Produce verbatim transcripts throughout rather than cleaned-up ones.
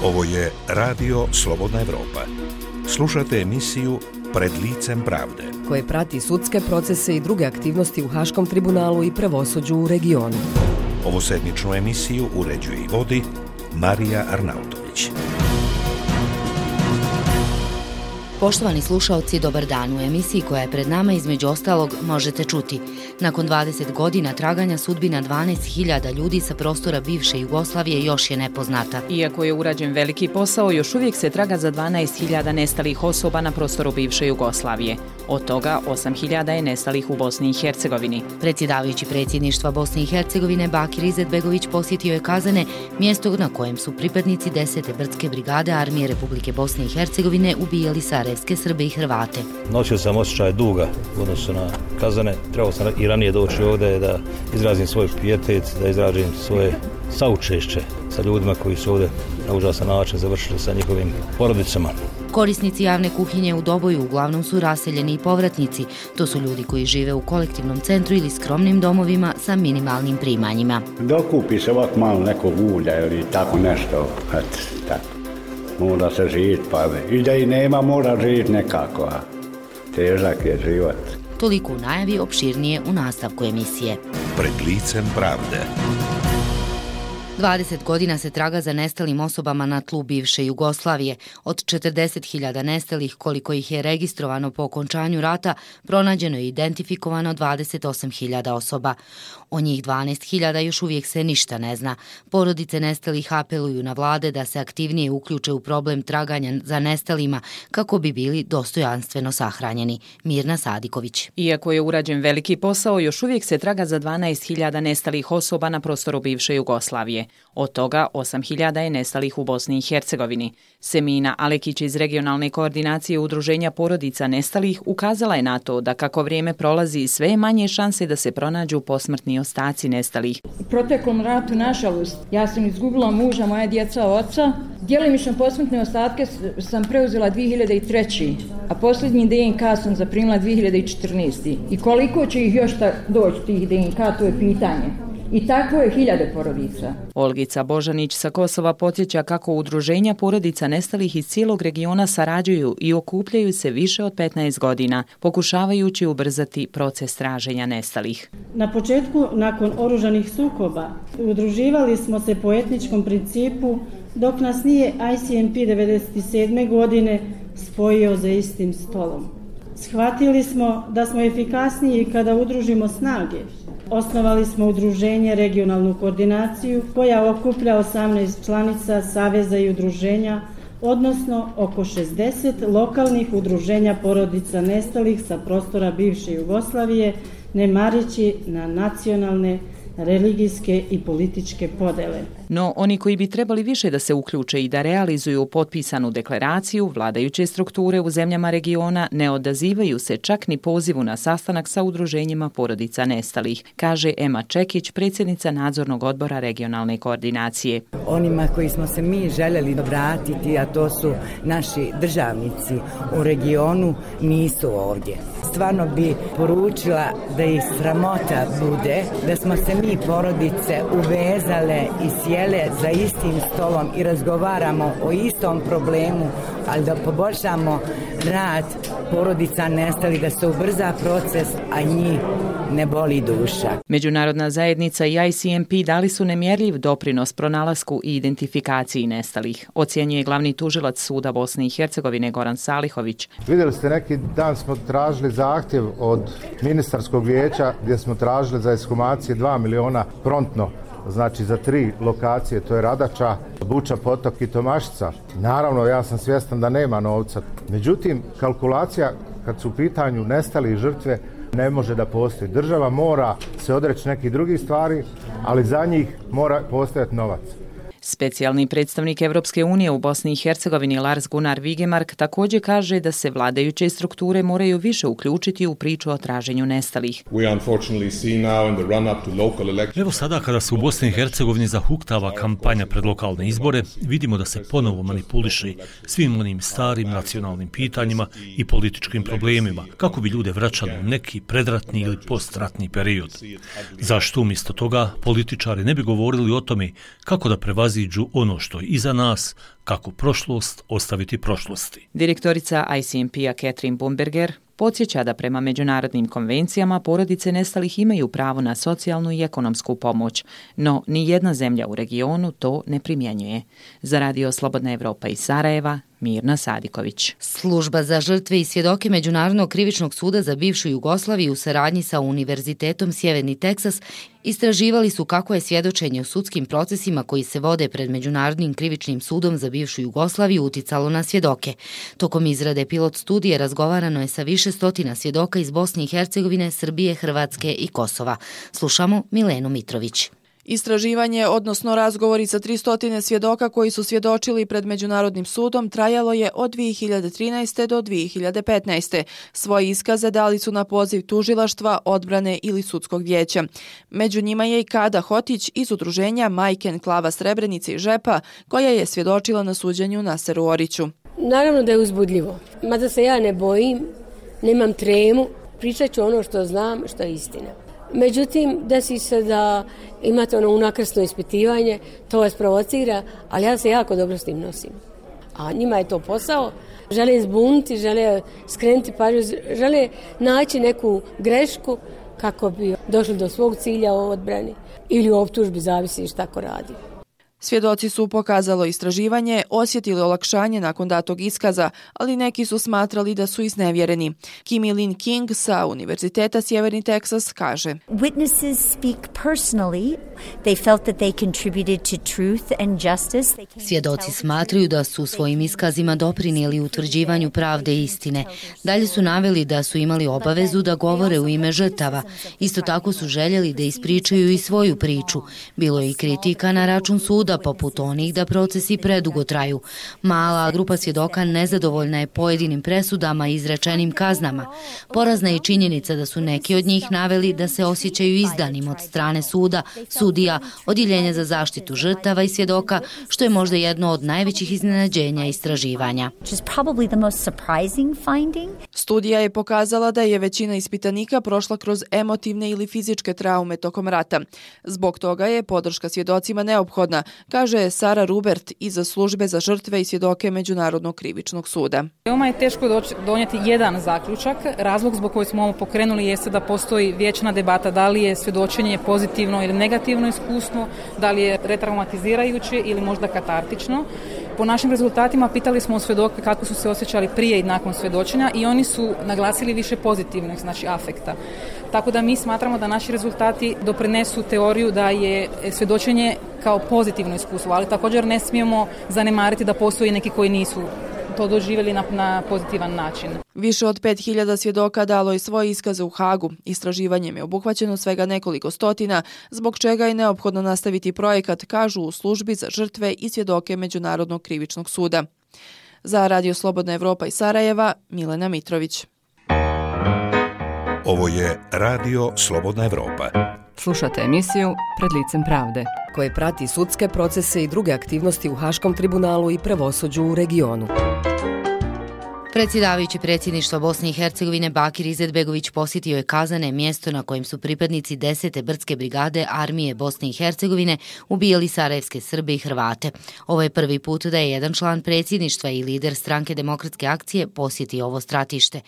Ovo je Radio Slobodna Evropa. Slušate emisiju Pred licem pravde, koje prati sudske procese i druge aktivnosti u Haškom tribunalu i pravosuđu u regionu. Ovu sedmičnu emisiju uređuje i vodi Marija Arnautović. Poštovani slušaoci, dobar dan. U emisiji koja je pred nama između ostalog možete čuti. Nakon dvadeset godina traganja sudbina dvanaest hiljada ljudi sa prostora bivše Jugoslavije još je nepoznata. Iako je urađen veliki posao, još uvijek se traga za dvanaest hiljada nestalih osoba na prostoru bivše Jugoslavije. Od toga osam hiljada je nestalih u Bosni i Hercegovini. Predsjedavajući predsjedništva Bosne i Hercegovine Bakir Izetbegović posjetio je Kazane, mjesto na kojem su pripadnici desete brdske brigade Armije Republike Bosne i Hercegovine ubijali sarajevske Srbe i Hrvate. Nosio sam osjećaj duga u odnosu na Kazane. Trebao sam i ranije doći ovdje da izrazim svoj pijetet, da izrazim svoje saučešće sa ljudima koji su ovdje na užasan način završili sa njihovim porodicama. Korisnici javne kuhinje u Doboju uglavnom su raseljeni i povratnici. To su ljudi koji žive u kolektivnom centru ili skromnim domovima sa minimalnim primanjima. Dokupi se ovak malo nekog ulja ili tako nešto. Et, tako. Mora se živjeti, pa i da i nema mora živjeti nekako, a težak je život. Toliko u najavi, opširnije u nastavku emisije. Pred licem pravde. dvadeset godina se traga za nestalim osobama na tlu bivše Jugoslavije. Od četrdeset hiljada nestalih, koliko ih je registrovano po okončanju rata, pronađeno je i identifikovano dvadeset osam hiljada osoba. O njih dvanaest hiljada još uvijek se ništa ne zna. Porodice nestalih apeluju na vlade da se aktivnije uključe u problem traganja za nestalima kako bi bili dostojanstveno sahranjeni. Mirna Sadiković. Iako je urađen veliki posao, još uvijek se traga za dvanaest hiljada nestalih osoba na prostoru bivše Jugoslavije. Od toga osam hiljada je nestalih u Bosni i Hercegovini. Semina Alekić iz regionalne koordinacije Udruženja porodica nestalih ukazala je na to da kako vrijeme prolazi sve je manje šanse da se pronađu posmrtni ostaci nestalih. U proteklom ratu, nažalost, ja sam izgubila muža, moja djeca, oca. Djelimično posmrtne ostatke sam preuzela dvije hiljade treće. a posljednji D N K sam zaprimila dvije hiljade četrnaeste. I koliko će ih još doći tih D N K, to je pitanje. I tako je hiljade porodica. Olgica Božanić sa Kosova podsjeća kako udruženja porodica nestalih iz cijelog regiona sarađuju i okupljaju se više od petnaest godina, pokušavajući ubrzati proces traženja nestalih. Na početku, nakon oružanih sukoba, udruživali smo se po etničkom principu, dok nas nije I C M P devedeset sedme godine spojio za istim stolom. Shvatili smo da smo efikasniji kada udružimo snage. Osnovali smo udruženje Regionalnu koordinaciju koja okuplja osamnaest članica saveza i udruženja, odnosno oko šezdeset lokalnih udruženja porodica nestalih sa prostora bivše Jugoslavije, ne mareći na nacionalne, religijske i političke podele. No, oni koji bi trebali više da se uključe i da realizuju potpisanu deklaraciju, vladajuće strukture u zemljama regiona ne odazivaju se čak ni pozivu na sastanak sa udruženjima porodica nestalih, kaže Ema Čekić, predsjednica nadzornog odbora regionalne koordinacije. Onima koji smo se mi željeli vratiti, a to su naši državnici u regionu, nisu ovdje. Stvarno bi poručila da ih sramota bude da smo se mi porodice uvezale i sjele za istim stolom i razgovaramo o istom problemu, ali da poboljšamo rad porodica nestalih, da se ubrza proces, a njih ne boli duša. Međunarodna zajednica i I C M P dali su nemjerljiv doprinos pronalasku i identifikaciji nestalih, ocjenjuje glavni tužilac suda Bosne i Hercegovine Goran Salihović. Vidjeli ste, neki dan smo tražili zahtjev od ministarskog vijeća gdje smo tražili za ekshumacije dva miliona prontno. Znači za tri lokacije, to je Radača, Buča, Potok i Tomašica. Naravno, ja sam svjestan da nema novca. Međutim, kalkulacija kad su u pitanju nestali žrtve ne može da postoji. Država mora se odreći nekih drugih stvari, ali za njih mora postojati novac. Specijalni predstavnik Evropske unije u Bosni i Hercegovini Lars Gunnar Vigemark također kaže da se vladajuće strukture moraju više uključiti u priču o traženju nestalih. Evo sada kada se u Bosni i Hercegovini zahuktava kampanja pred lokalne izbore, vidimo da se ponovo manipuliše svim onim starim nacionalnim pitanjima i političkim problemima, kako bi ljude vraćali u neki predratni ili postratni period. Zašto umjesto toga političari ne bi govorili o tome kako da prevaziđu prevaziđu ono što je iza nas, kako prošlost ostaviti prošlosti. Direktorica I C M P-a Catherine Bumberger podsjeća da prema međunarodnim konvencijama porodice nestalih imaju pravo na socijalnu i ekonomsku pomoć, no ni jedna zemlja u regionu to ne primjenjuje. Za Radio Slobodna Evropa iz Sarajeva, Mirna Sadiković. Služba za žrtve i svjedoke Međunarodnog krivičnog suda za bivšu Jugoslaviju u saradnji sa Univerzitetom Sjeverni Teksas istraživali su kako je svjedočenje u sudskim procesima koji se vode pred Međunarodnim krivičnim sudom za bivšu Jugoslaviju uticalo na svjedoke. Tokom izrade pilot studije razgovarano je sa više stotina svjedoka iz Bosne i Hercegovine, Srbije, Hrvatske i Kosova. Slušamo Milenu Mitrović. Istraživanje, odnosno razgovori sa tristo svjedoka koji su svjedočili pred Međunarodnim sudom trajalo je od dvije hiljade trinaeste. do dvije hiljade petnaeste. Svoje iskaze dali su na poziv tužilaštva, odbrane ili sudskog vijeća. Među njima je i Kada Hotić iz udruženja Majke Enklava Srebrenice i Žepa, koja je svjedočila na suđenju Naseru Oriću. Naravno da je uzbudljivo. Mada se ja ne bojim, nemam tremu, pričat ću ono što znam, što je istina. Međutim, desi se da imate ono unakrsno ispitivanje, to vas provocira, ali ja se jako dobro s tim nosim. A njima je to posao, žele zbuniti, žele skrenuti pažnju, žele naći neku grešku kako bi došli do svog cilja u odbrani ili u optužbi, zavisi šta ko radi. Svjedoci su, pokazalo istraživanje, osjetili olakšanje nakon datog iskaza, ali neki su smatrali da su iznevjereni. Kimi Lin King sa Univerziteta Sjeverni Teksas kaže: Witnesses speak personally. They felt that they contributed to truth and justice. Svjedoci smatraju da su svojim iskazima doprinijeli utvrđivanju pravde i istine. Dalje su naveli da su imali obavezu da govore u ime žrtava. Isto tako su željeli da ispričaju i svoju priču. Bilo je i kritika na račun suda, poput onih da procesi predugo traju. Mala grupa svjedoka nezadovoljna je pojedinim presudama i izrečenim kaznama. Porazna je činjenica da su neki od njih naveli da se osjećaju izdanim od strane suda, sudija, odjeljenja za zaštitu žrtava i svjedoka, što je možda jedno od najvećih iznenađenja istraživanja. Studija je pokazala da je većina ispitanika prošla kroz emotivne ili fizičke traume tokom rata. Zbog toga je podrška svjedocima neophodna, kaže Sara Rubert iz službe za žrtve i svjedoke Međunarodnog krivičnog suda. Veoma je teško donijeti jedan zaključak. Razlog zbog koji smo ovo pokrenuli jeste da postoji vječna debata da li je svjedočenje pozitivno ili negativno iskustvo, da li je retraumatizirajuće ili možda katartično. Po našim rezultatima pitali smo svjedoke kako su se osjećali prije i nakon svjedočenja i oni su naglasili više pozitivnih, znači afekta. Tako da mi smatramo da naši rezultati doprinesu teoriju da je svjedočenje kao pozitivno iskustvo, ali također ne smijemo zanemariti da postoji neki koji nisu to doživjeli na, na pozitivan način. Više od pet hiljada svjedoka dalo je svoje iskaze u Hagu. Istraživanjem je obuhvaćeno svega nekoliko stotina, zbog čega je neophodno nastaviti projekat, kažu u službi za žrtve i svjedoke Međunarodnog krivičnog suda. Za Radio Slobodna Evropa iz Sarajeva, Milena Mitrović. Ovo je Radio Slobodna Evropa. Slušate emisiju Pred licem pravde, koje prati sudske procese i druge aktivnosti u Haškom tribunalu i pravosuđu u regionu. Predsjedavajući predsjedništva Bosne i Hercegovine Bakir Izetbegović posjetio je Kazane, mjesto na kojem su pripadnici desete brdske brigade armije Bosne i Hercegovine ubijali sarajevske Srbe i Hrvate. Ovo je prvi put da je jedan član predsjedništva i lider stranke Demokratske akcije posjetio ovo stratište.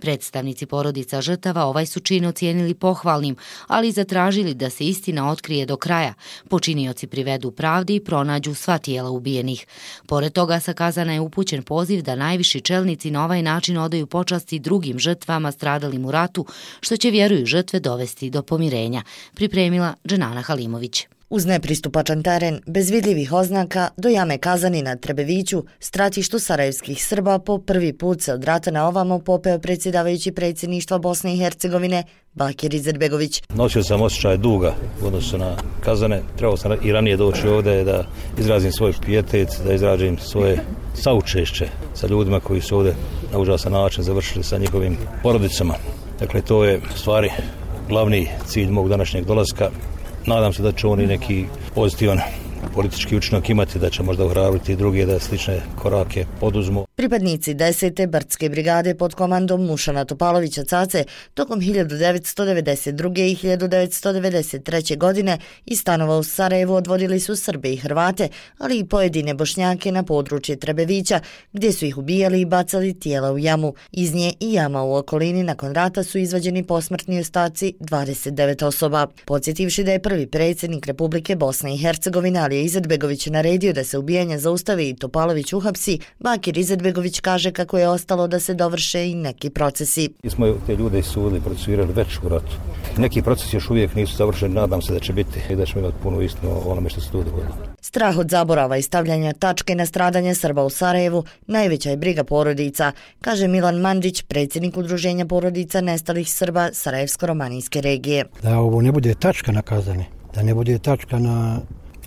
Predstavnici porodica žrtava ovaj su čin ocijenili pohvalnim, ali zatražili da se istina otkrije do kraja, počinioci privedu pravdi i pronađu sva tijela ubijenih. Pored toga, sa Kazana je upućen poziv da najviši čelnici na ovaj način odaju počasti drugim žrtvama stradalim u ratu, što će, vjeruju žrtve, dovesti do pomirenja, pripremila Dženana Halimović. Uz nepristupačan teren, bez vidljivih oznaka, do jame Kazani na Trebeviću, stratištu sarajevskih Srba, po prvi put se od rata na ovamo popeo predsjedavajući predsjedništva Bosne i Hercegovine Bakir Izetbegović. Nosio sam osjećaj duga u odnosu na Kazane. Trebao sam i ranije doći ovdje da izrazim svoj pijetet, da izrazim svoje saučešće sa ljudima koji su ovdje na užasan način završili sa njihovim porodicama. Dakle, to je u stvari glavni cilj mog današnjeg dolaska. Nadam se da će oni neki pozitivan politički učinak imati, da će možda ohrabriti druge da slične korake poduzmu. Pripadnici desete brdske brigade pod komandom Nušana Topalovića Cace tokom hiljadu devetsto devedeset druge. i hiljadu devetsto devedeset treće. godine iz stanova u Sarajevu odvodili su Srbe i Hrvate, ali i pojedine Bošnjake na područje Trebevića, gdje su ih ubijali i bacali tijela u jamu. Iz nje i jama u okolini nakon rata su izvađeni posmrtni ostaci dvadeset devet osoba. Podsjetivši da je prvi predsjednik Republike Bosne i Hercegovine Alija Izetbegović naredio da se ubijanje zaustavi i Topalović uhapsi, Bakir Izetbegović kaže kako je ostalo da se dovrše i neki procesi. Mi smo te ljude sudili, procesuirali već u ratu. Neki procesi još uvijek nisu završeni, nadam se da će biti i da ćemo imati puno istinu o onome što se tu dogodilo. Strah od zaborava i stavljanja tačke na stradanje Srba u Sarajevu najveća je briga porodica, kaže Milan Mandić, predsjednik Udruženja porodica nestalih Srba Sarajevsko-romanijske regije. Da ovo ne bude tačka na Kazane, da ne bude tačka na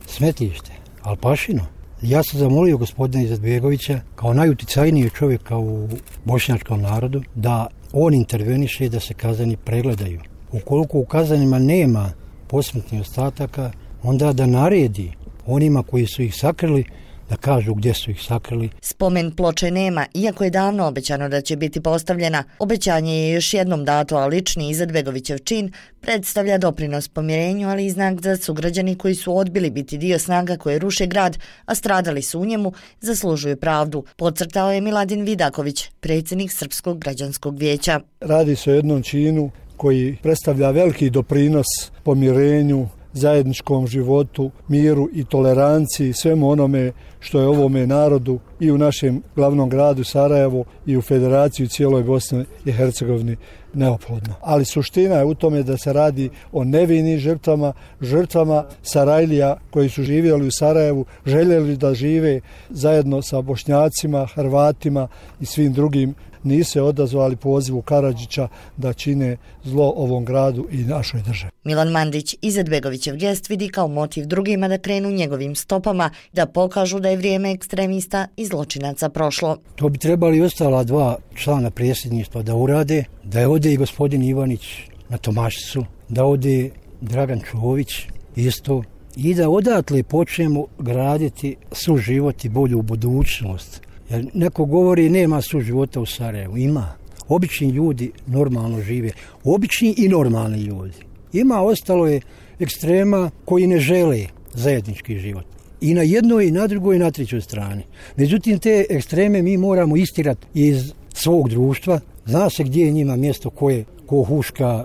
smetlište, Alpašino. Ja sam zamolio gospodina Izetbegovića kao najuticajnijeg čovjeka u bošnjačkom narodu da on interveniše da se Kazani pregledaju. Ukoliko u Kazanima nema posmrtnih ostataka, onda da naredi onima koji su ih sakrili da kažu gdje su ih sakrili. Spomen ploče nema, iako je davno obećano da će biti postavljena. Obećanje je još jednom dato, a lični Izetbegovićev čin predstavlja doprinos pomirenju, ali i znak za sugrađani koji su odbili biti dio snaga koje ruše grad, a stradali su u njemu, zaslužuju pravdu, podcrtao je Miladin Vidaković, predsjednik Srpskog građanskog vijeća. Radi se o jednom činu koji predstavlja veliki doprinos pomirenju, zajedničkom životu, miru i toleranciji, svemu onome što je ovome narodu i u našem glavnom gradu Sarajevu i u Federaciji cijeloj Bosne i Hercegovini neophodno. Ali suština je u tome da se radi o nevinim žrtvama, žrtvama Sarajlija koji su živjeli u Sarajevu, željeli da žive zajedno sa Bošnjacima, Hrvatima i svim drugim, nisu se odazvali pozivu Karadžića da čine zlo ovom gradu i našoj državi. Milan Mandić Izetbegovićev gest vidi kao motiv drugima da krenu njegovim stopama, da pokažu da je vrijeme ekstremista i zločinaca prošlo. To bi trebali ostala dva člana predsjedništva da urade, da je ode i gospodin Ivanić na Tomašicu, da ode Dragan Čović isto i da odatle počnemo graditi suživot i bolju budućnost. Jer neko govori nema suživota u Sarajevu. Ima. Obični ljudi normalno žive. Obični i normalni ljudi. Ima, ostalo je ekstrema koji ne žele zajednički život. I na jednoj, i na drugoj, i na trećoj strani. Međutim, te ekstreme mi moramo istirati iz svog društva. Zna se gdje je njima mjesto koje ko huška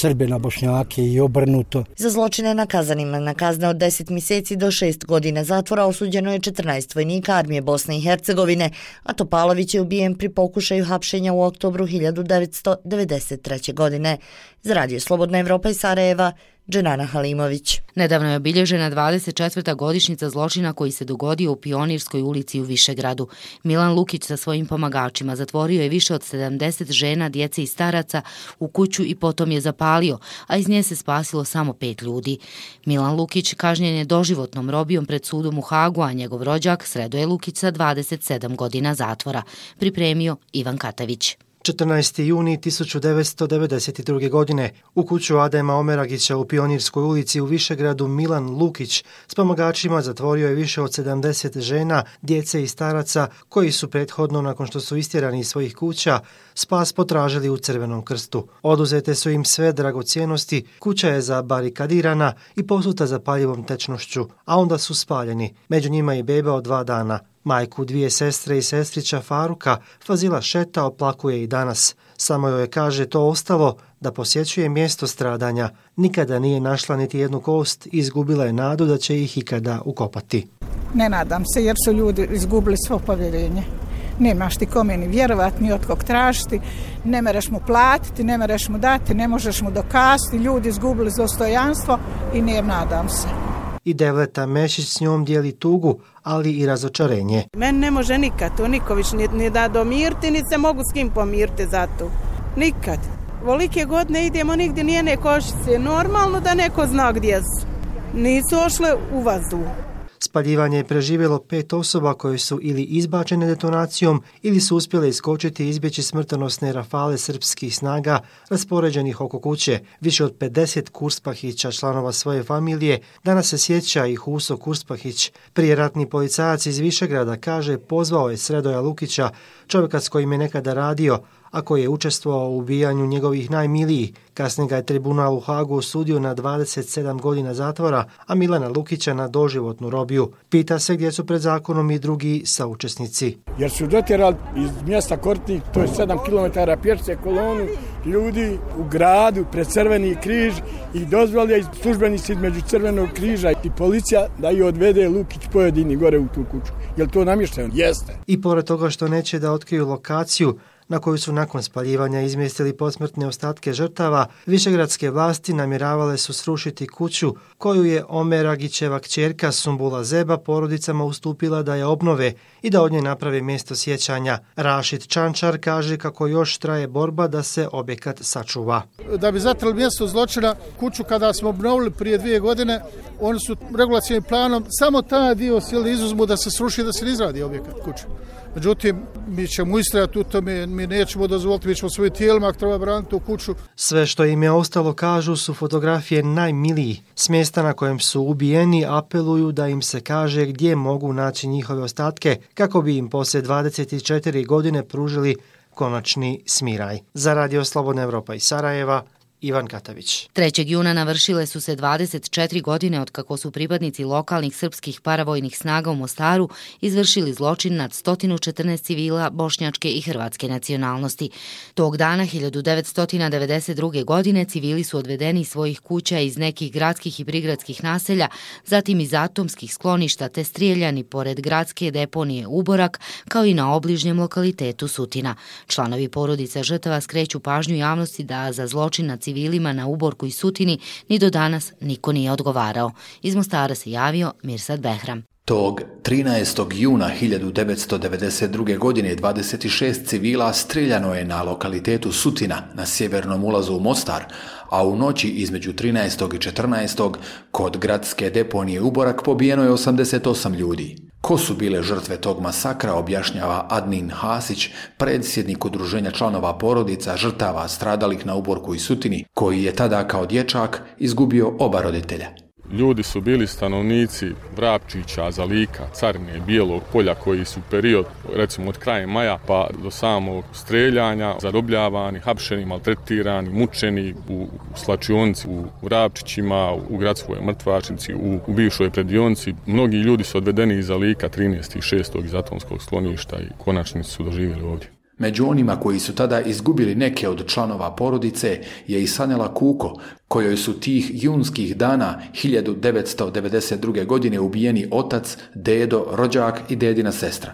Srbe na Bošnjake i obrnuto. Za zločine na Kazanima na kazne od deset mjeseci do šest godina zatvora osuđeno je četrnaest vojnika armije Bosne i Hercegovine, a Topalović je ubijen pri pokušaju hapšenja u oktobru hiljadu devetsto devedeset treće. godine. Za Radio Slobodna Evropa iz Sarajeva, Dženana Halimović. Nedavno je obilježena dvadeset četvrta godišnjica zločina koji se dogodio u Pionirskoj ulici u Višegradu. Milan Lukić sa svojim pomagačima zatvorio je više od sedamdeset žena, djece i staraca u kuću i potom je zapalio, a iz nje se spasilo samo pet ljudi. Milan Lukić kažnjen je doživotnom robijom pred sudom u Hagu, a njegov rođak Sredoje Lukić sa dvadeset sedam godina zatvora. Pripremio Ivan Katavić. četrnaesti juni tisuću devetsto devedeset druge. godine u kuću Adema Omeragića u Pionirskoj ulici u Višegradu Milan Lukić s pomagačima zatvorio je više od sedamdeset žena, djece i staraca koji su prethodno nakon što su istjerani iz svojih kuća spas potražili u Crvenom krstu. Oduzete su im sve dragocjenosti, kuća je zabarikadirana i posuta zapaljivom tečnošću, a onda su spaljeni. Među njima i beba od dva dana. Majku dvije sestre i sestrića Faruka Fazila Šeta oplakuje i danas. Samo joj je, kaže, to ostalo da posjećuje mjesto stradanja. Nikada nije našla niti jednu kost i izgubila je nadu da će ih ikada ukopati. Ne nadam se jer su ljudi izgubili svo povjerenje. Nemaš ti kome ni vjerovati, ni od kog tražiti, ne mereš mu platiti, ne mereš mu dati, ne možeš mu dokazati. Ljudi izgubili dostojanstvo i ne nadam se. I Devleta Mešić s njom dijeli tugu, ali i razočarenje. Men ne može nikad to Niković ni, ni da domirti, ni se mogu s kim pomirti za to. Nikad. Volike godine idemo nigdje nijene košice. Normalno da neko zna gdje su. Nisu ošle u vazduh. Spaljivanje je preživjelo pet osoba koje su ili izbačene detonacijom ili su uspjele iskočiti i izbjeći smrtonosne rafale srpskih snaga raspoređenih oko kuće. Više od pedeset Kurspahića, članova svoje familije, danas se sjeća i Huso Kurspahić. Prijeratni policajac iz Višegrada, kaže, pozvao je Sredoja Lukića, čovjeka s kojim je nekada radio, a koji je učestvovao u ubijanju njegovih najmilijih. Kasnije ga je tribunal u Hagu osudio na dvadeset sedam godina zatvora, a Milana Lukića na doživotnu robiju. Pita se gdje su pred zakonom i drugi saučesnici. Jer su dotjerali iz mjesta Kortnik, to je sedam kilometara pješice, kolonu ljudi u gradu pred Crveni križ i dozvolili službenici između Crvenog križa i policija da i odvede Lukić pojedini gore u tu kuću. Jel to namješteno? Jeste. I pored toga što neće da otkriju lokaciju na koju su nakon spaljivanja izmjestili posmrtne ostatke žrtava, višegradske vlasti namjeravale su srušiti kuću koju je Omeragićeva kćerka Sumbula Zeba porodicama ustupila da je obnove i da od nje naprave mjesto sjećanja. Rašid Čančar kaže kako još traje borba da se objekat sačuva. Da bi zatrli mjesto zločina, kuću kada smo obnovili prije dvije godine, oni su regulacijnim planom samo taj dio sjeli izuzmu da se sruši, da se ne izradi objekat kuće. Međutim, mi ćemo istrajati u tome, mi nećemo dozvoliti, mi ćemo svojim tijelima ako treba braniti u kuću. Sve što im je ostalo, kažu, su fotografije najmilijih. S mjesta na kojem su ubijeni apeluju da im se kaže gdje mogu naći njihove ostatke kako bi im poslije dvadeset četiri godine pružili konačni smiraj. Za Radio Slobodna Evropa iz Sarajeva, Ivan Katavić. trećeg juna navršile su se dvadeset četiri godine od kako su pripadnici lokalnih srpskih paravojnih snaga u Mostaru izvršili zločin nad sto četrnaest civila bošnjačke i hrvatske nacionalnosti. Tog dana hiljadu devetsto devedeset druge. godine civili su odvedeni iz svojih kuća iz nekih gradskih i prigradskih naselja, zatim iz atomskih skloništa te strijeljani pored gradske deponije Uborak, kao i na obližnjem lokalitetu Sutina. Članovi porodica žrtava skreću pažnju javnosti da za zločin nad civilima na Uborku i Sutini ni do danas niko nije odgovarao. Iz Mostara se javio Mirsad Behram. Tog trinaestog juna hiljadu devetsto devedeset druge. godine dvadeset šest civila streljano je na lokalitetu Sutina na sjevernom ulazu u Mostar, a u noći između trinaestog i četrnaestog kod gradske deponije Uborak pobijeno je osamdeset osam ljudi. Ko su bile žrtve tog masakra, objašnjava Adnin Hasić, predsjednik udruženja članova porodica žrtava stradalih na Uborku i Sutini, koji je tada kao dječak izgubio oba roditelja. Ljudi su bili stanovnici Vrapčića, Zalika, Carine, Bijelog polja koji su period, recimo od kraja maja pa do samog streljanja, zarobljavani, hapšeni, maltretirani, mučeni u slačionici, u Vrapčićima, u gradskoj mrtvačnici, u, u bivšoj predionci. Mnogi ljudi su odvedeni iz Zalika trinaestog šestog iz atomskog skloništa i konačnici su doživjeli ovdje. Među onima koji su tada izgubili neke od članova porodice je i Sanela Kuko, kojoj su tih junskih dana hiljadu devetsto devedeset druge. godine ubijeni otac, dedo, rođak i dedina sestra.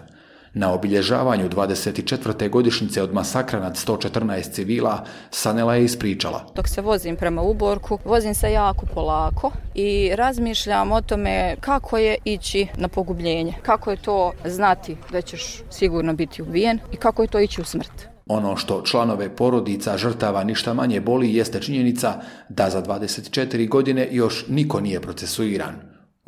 Na obilježavanju dvadeset četvrte godišnjice od masakra nad sto četrnaest civila, Sanela je ispričala. Dok se vozim prema Uborku, vozim se jako polako i razmišljam o tome kako je ići na pogubljenje. Kako je to znati da ćeš sigurno biti ubijen i kako je to ići u smrt. Ono što članove porodica žrtava ništa manje boli jeste činjenica da za dvadeset četiri godine još niko nije procesuiran.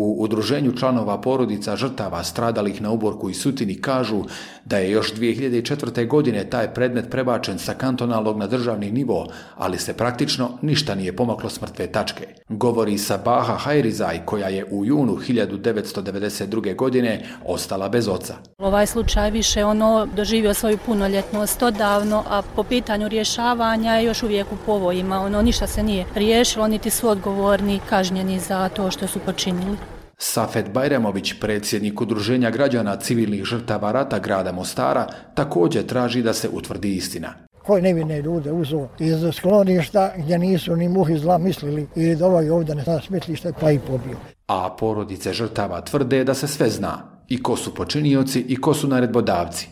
U udruženju članova porodica žrtava stradalih na Uborku i Sutini kažu da je još dvije hiljade četvrte. godine taj predmet prebačen sa kantonalnog na državni nivo, ali se praktično ništa nije pomaklo s mrtve tačke. Govori Sabaha Hajrizaj, koja je u junu hiljadu devetsto devedeset druge. godine ostala bez oca. Ovaj slučaj više ono doživio svoju punoljetnost odavno, a po pitanju rješavanja je još uvijek u povojima. Ono ništa se nije riješilo, niti su odgovorni kažnjeni za to što su počinili. Safet Bajramović, predsjednik udruženja građana civilnih žrtava rata grada Mostara, također traži da se utvrdi istina. Koji nevine ljude uzo iz skloništa gdje nisu ni muhi zla mislili ili da ovaj ovdje ne zna smetlište pa i pobio. A porodice žrtava tvrde da se sve zna, i ko su počinioci i ko su naredbodavci.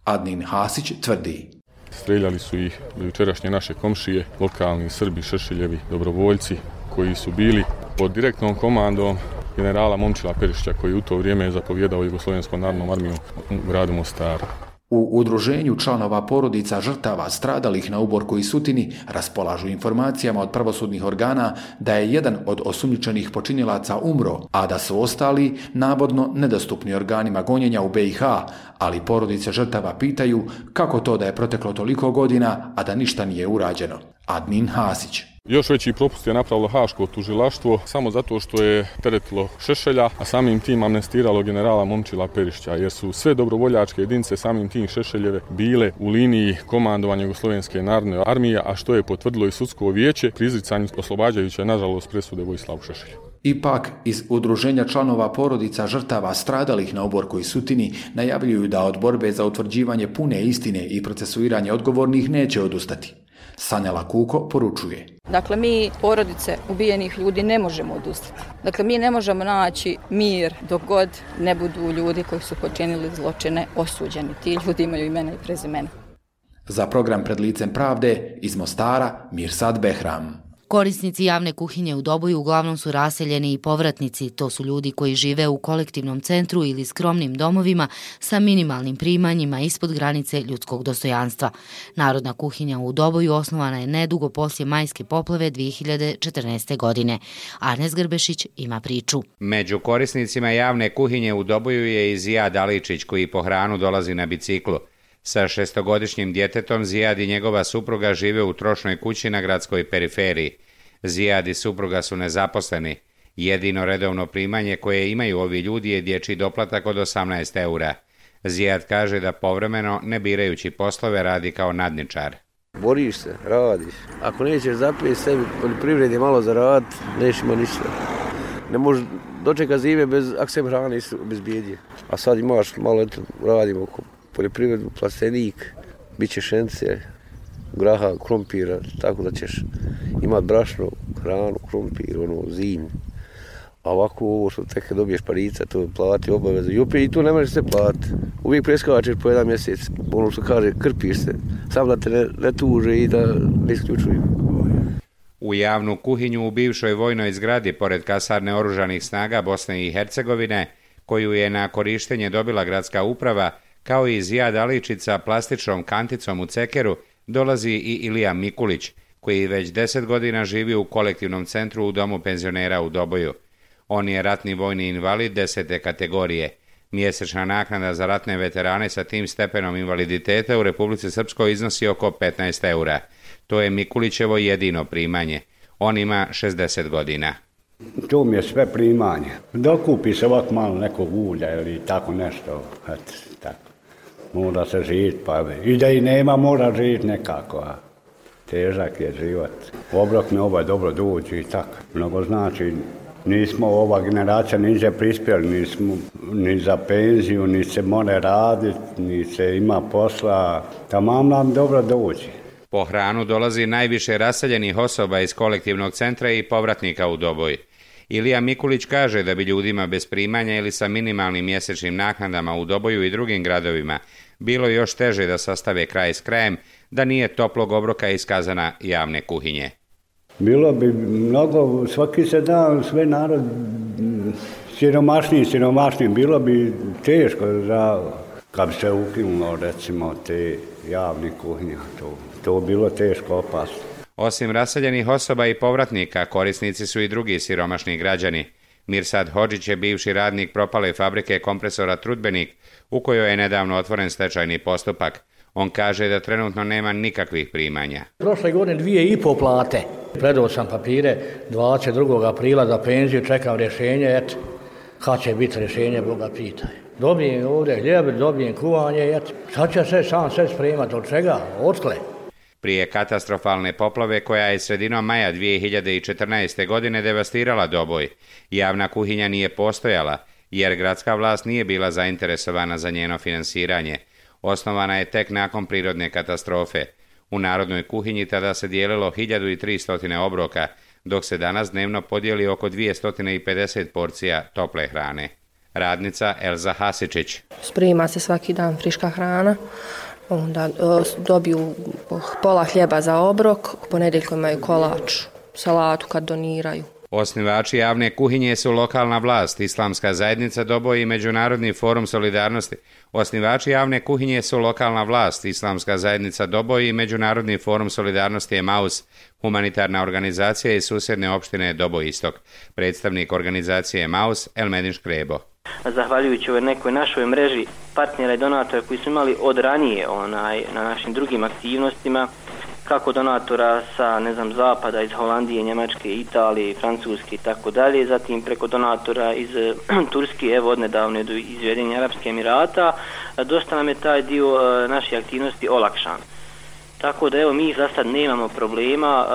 Adnin Hasić tvrdi. Streljali su ih jučerašnje naše komšije, lokalni Srbi, Šešeljevi, dobrovoljci, koji su bili pod direktnom komandom generala Momčila Perišića, koji u to vrijeme je zapovjedao Jugoslovenskom narodnom armijom u gradu Mostaru. U udruženju članova porodica žrtava stradalih na Uborku i Sutini raspolažu informacijama od pravosudnih organa da je jedan od osumnjičenih počinilaca umro, a da su ostali navodno nedostupni organima gonjenja u B i H, ali porodice žrtava pitaju kako to da je proteklo toliko godina, a da ništa nije urađeno. Admin Hasić. Još veći propust je napravilo Haško tužilaštvo samo zato što je teretilo Šešelja, a samim tim amnestiralo generala Momčila Perišća, jer su sve dobrovoljačke jedinice samim tim Šešeljeve bile u liniji komandovanja Jugoslovenske narodne armije, a što je potvrdilo i sudsko vijeće pri izricanju oslobađajuće, nažalost, presude Vojislavu Šešelju. Ipak, iz udruženja članova porodica žrtava stradalih na Uborku i Sutini najavljuju da od borbe za utvrđivanje pune istine i procesuiranje odgovornih neće odustati. Sanjala Kuko poručuje. Dakle, mi porodice ubijenih ljudi ne možemo odustati. Dakle, mi ne možemo naći mir dok god ne budu ljudi koji su počinili zločine osuđeni. Ti ljudi imaju imena i prezimena. Za program Pred licem pravde iz Mostara, Mirsad Behram. Korisnici javne kuhinje u Doboju uglavnom su raseljeni i povratnici. To su ljudi koji žive u kolektivnom centru ili skromnim domovima sa minimalnim primanjima ispod granice ljudskog dostojanstva. Narodna kuhinja u Doboju osnovana je nedugo poslije majske poplave dvije hiljade četrnaeste. godine. Arnes Grbešić ima priču. Među korisnicima javne kuhinje u Doboju je i Zijad Aličić, koji po hranu dolazi na biciklu. Sa šestogodišnjim djetetom Zijad i njegova supruga žive u trošnoj kući na gradskoj periferiji. Zijad i supruga su nezaposleni. Jedino redovno primanje koje imaju ovi ljudi je dječji doplatak od osamnaest eura. Zijad kaže da povremeno, ne birajući poslove, radi kao nadničar. Boriš se, radiš. Ako nećeš zapijeti sebi poljoprivredi malo zaraditi, nećeš ima ništa. Ne možeš dočekati zime bez, ako se hrane bez bijedje. A sad imaš malo, eto, radimo oko poljoprivredu, plastenik, bit će šence, graha, krompira, tako da ćeš imati brašno, hranu, krompir, ono, zim. A ovako ovo što tek dobiješ parica, to plati obavezu. I opet i tu ne možeš se platiti. Uvijek preskačeš po jedan mjesec, ono što kaže, krpiš se, sam da te ne, ne tuže i da ne isključuju. U javnu kuhinju u bivšoj vojnoj zgradi, pored kasarne oružanih snaga Bosne i Hercegovine, koju je na korištenje dobila gradska uprava, kao i Zijad Aličić sa plastičnom kanticom u cekeru, dolazi i Ilija Mikulić, koji već deset godina živi u kolektivnom centru u domu penzionera u Doboju. On je ratni vojni invalid desete kategorije. Mjesečna naknada za ratne veterane sa tim stepenom invaliditeta u Republici Srpskoj iznosi oko petnaest eura. To je Mikulićevo jedino primanje. On ima šezdeset godina. To mi je sve primanje. Dokupi se ovak malo nekog ulja ili tako nešto. Eto, tako. Mora se živjeti, pa i da i nema, mora živjeti nekako. A težak je život. Obrok mi ovaj dobro dođe i tako. Mnogo znači, nismo ova generacija niže prispjeli, nismo ni za penziju, ni se more raditi, ni se ima posla. Tamam nam dobro dođe. Po hranu dolazi najviše raseljenih osoba iz kolektivnog centra i povratnika u Doboj. Ilija Mikulić kaže da bi ljudima bez primanja ili sa minimalnim mjesečnim naknadama u Doboju i drugim gradovima bilo još teže da sastave kraj s krajem, da nije toplog obroka iskazana javne kuhinje. Bilo bi mnogo, svaki se dan sve narod siromašniji, siromašniji, bilo bi teško za, kad bi se ukinulo recimo te javne kuhinje, to, to bilo teško, opasno. Osim raseljenih osoba i povratnika, korisnici su i drugi siromašni građani. Mirsad Hodžić je bivši radnik propale fabrike kompresora Trudbenik, u kojoj je nedavno otvoren stečajni postupak. On kaže da trenutno nema nikakvih primanja. Prošle godine dvije i pol plate. Predao sam papire dvadeset drugog aprila za penziju, čekam rješenje, eto, kad će biti rješenje, Boga pitaj. Dobijem ovdje hljeb, dobijem kuvanje, eto, sad će se sam sve spremati, od čega, otkle. Prije katastrofalne poplave koja je sredinom maja dvije hiljade četrnaeste. godine devastirala Doboj, javna kuhinja nije postojala, jer gradska vlast nije bila zainteresovana za njeno finansiranje. Osnovana je tek nakon prirodne katastrofe. U narodnoj kuhinji tada se dijelilo hiljadu tristo obroka, dok se danas dnevno podijeli oko dvjesto pedeset porcija tople hrane. Radnica Elza Hasičić. Sprema se svaki dan friška hrana, onda dobiju pola hljeba za obrok, ponedjeljkom imaju kolač, salatu kad doniraju. Osnivači javne kuhinje su lokalna vlast, Islamska zajednica Doboj i Međunarodni forum solidarnosti. Osnivači javne kuhinje su lokalna vlast, Islamska zajednica Doboj i Međunarodni forum solidarnosti Emaus, humanitarna organizacija iz susjedne opštine Doboj Istok. Predstavnik organizacije Emaus Elmedin Škrebo. Zahvaljujući ovoj nekoj našoj mreži partnera i donatora koji su imali od ranije onaj, na našim drugim aktivnostima, kako donatora sa, ne znam, zapada, iz Holandije, Njemačke, Italije, Francuske i tako dalje, zatim preko donatora iz Turske, evo odnedavne do iz Ujedinjenih Arapskih Emirata, dosta nam je taj dio naše aktivnosti olakšan. Tako da evo mi za sad nemamo problema,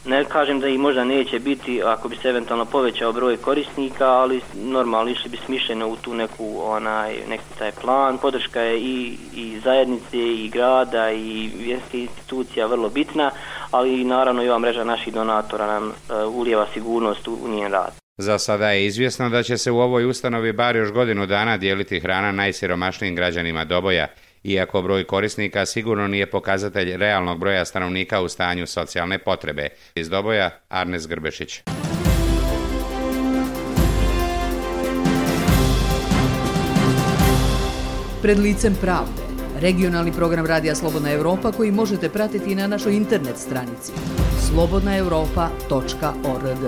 ne kažem da ih možda neće biti ako bi se eventualno povećao broj korisnika, ali normalno išli bi smišljeno u tu neku, onaj, neki taj plan. Podrška je i, i zajednice, i grada, i vjerske institucija vrlo bitna, ali naravno i ova mreža naših donatora nam ulijeva sigurnost u njen rad. Za sada je izvjesno da će se u ovoj ustanovi bar još godinu dana dijeliti hrana najsiromašnijim građanima Doboja, iako broj korisnika sigurno nije pokazatelj realnog broja stanovnika u stanju socijalne potrebe. Iz Doboja, Arnes Grbešić. Pred licem pravde. Regionalni program Radija Slobodna Europa koji možete pratiti na našoj internet stranici slobodna europa tačka org.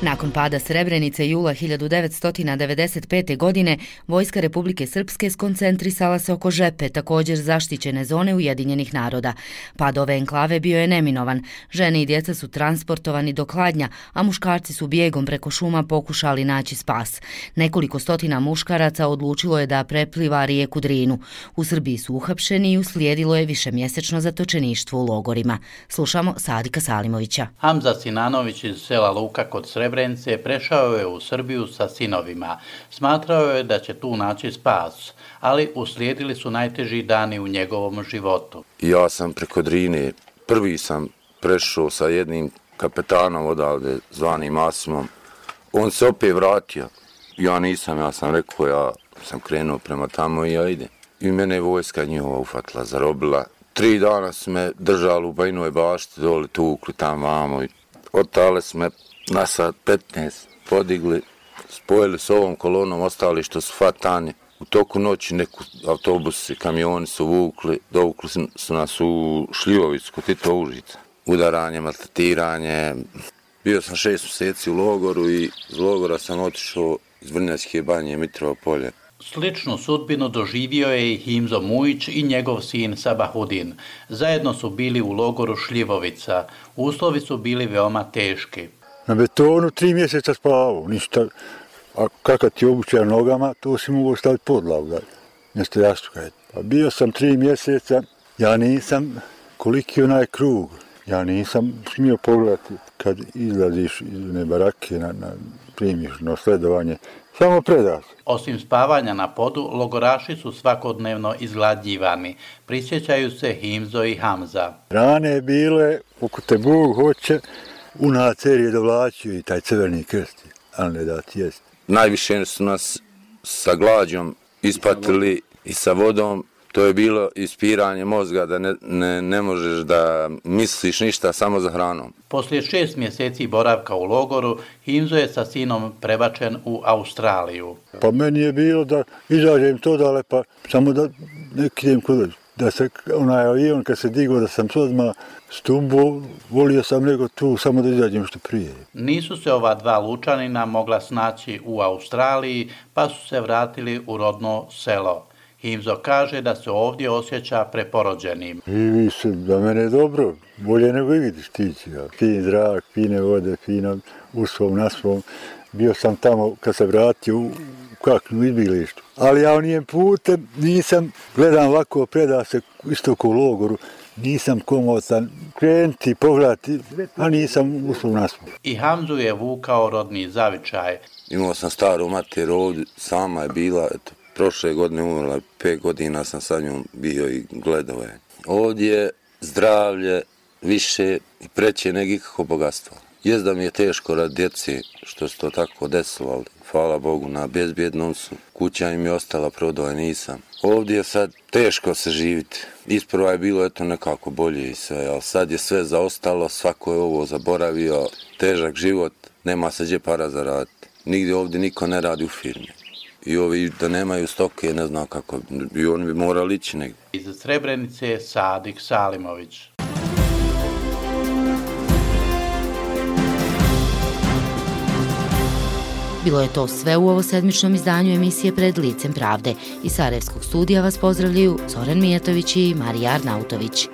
Nakon pada Srebrenice jula hiljadu devetsto devedeset pete. godine, Vojska Republike Srpske skoncentrisala se oko Žepe, također zaštićene zone Ujedinjenih naroda. Pad ove enklave bio je neminovan. Žene i djeca su transportovani do Kladnja, a muškarci su bijegom preko šuma pokušali naći spas. Nekoliko stotina muškaraca odlučilo je da prepliva rijeku Drinu. U Srbiji su uhapšeni i uslijedilo je višemjesečno zatočeništvo u logorima. Slušamo Sadika Salimovića. Hamza Sinanović iz sela Luka kod Srebrenice prešao je u Srbiju sa sinovima. Smatrao je da će tu naći spas, ali uslijedili su najteži dani u njegovom životu. Ja sam preko Drine, prvi sam prešao sa jednim kapetanom odavde, zvanim Masimom. On se opet vratio. Ja nisam, ja sam rekao, ja sam krenuo prema tamo i ja idem. I mene je vojska njihova ufatila, zarobila. Tri dana su me držali u Bajinoj bašti, dole tukli tam vamo. Otale su me na sat petnaest podigli, spojili s ovom kolonom, ostali što su fatani. U toku noći neku autobusi, kamioni su vukli, dovukli su nas u Šljivovicu, kod Tito Užica. Udaranje, maltretiranje. Bio sam šest mjeseci u logoru i iz logora sam otišao iz Vrnjačke banje, Mitrovo polje. Sličnu sudbinu doživio je i Himzo Mujić i njegov sin Sabahudin. Zajedno su bili u logoru Šljivovica. Uslovi su bili veoma teški. Na betonu tri mjeseca spavao, ništa. A kakav ti obuća nogama, to si mogu staviti podlavu, mjesto jastuka. Pa bio sam tri mjeseca, ja nisam, koliki je onaj krug, ja nisam smio pogledati kad izlaziš iz one barake na, na primiš na sledovanje. Samo predaš. Osim spavanja na podu, logoraši su svakodnevno izgladnjivani. Prisjećaju se Himzo i Hamza. Rane bile, oko te Bog hoće, u nacer je dovlačio i taj crveni krst, ali ne da ti jest. Najviše su nas sa glađom ispatili i sa vodom. To je bilo ispiranje mozga da ne, ne, ne možeš da misliš ništa samo za hranom. Poslije šest mjeseci boravka u logoru, Himzo je sa sinom prebačen u Australiju. Pa meni je bilo da izađem to dale, pa samo da ne idem kod da se onaj avion kad se digao da sam odmah stumbo, volio sam nego tu samo da izađem što prije. Nisu se ova dva lučanina mogla snaći u Australiji, pa su se vratili u rodno selo. Himzo kaže da se ovdje osjeća preporođenim. I vi se, da mene je dobro, bolje nego i vidiš tići. Ja. Fin zrak, fine vode, fino u svom, na svom. Bio sam tamo kad se vratio u kaknu izbilištu. Ali ja nijem putem nisam, gledam ovako, preda se isto u logoru, nisam komotan krenuti, pogledati, a nisam u svom, na svom. I Hamzu je vukao rodni zavičaj. Imao sam staru mater ovdje, sama je bila, eto, prošle godine umrla, pet godina sam sa njom bio i gledao je. Ovdje je zdravlje više i preće nego ikako bogatstvo. Jest da mi je teško rad djeci što se to tako desilo, ali hvala Bogu na bezbjednom su. kuća im je ostala, prodao je nisam. Ovdje je sad teško se živiti. Isprva je bilo eto nekako bolje i sve, ali sad je sve zaostalo, svako je ovo zaboravio, težak život, nema se gdje para zaraditi. Nigdje ovdje niko ne radi u firmi. I ovi da nemaju stoke, ne znam kako, i oni bi morali ići negdje. Iz Srebrenice Sadik Salimović. Bilo je to sve u ovo sedmičnom izdanju emisije Pred licem pravde. Iz Sarajevskog studija vas pozdravljaju Zoran Mijatović i Marija Arnautović.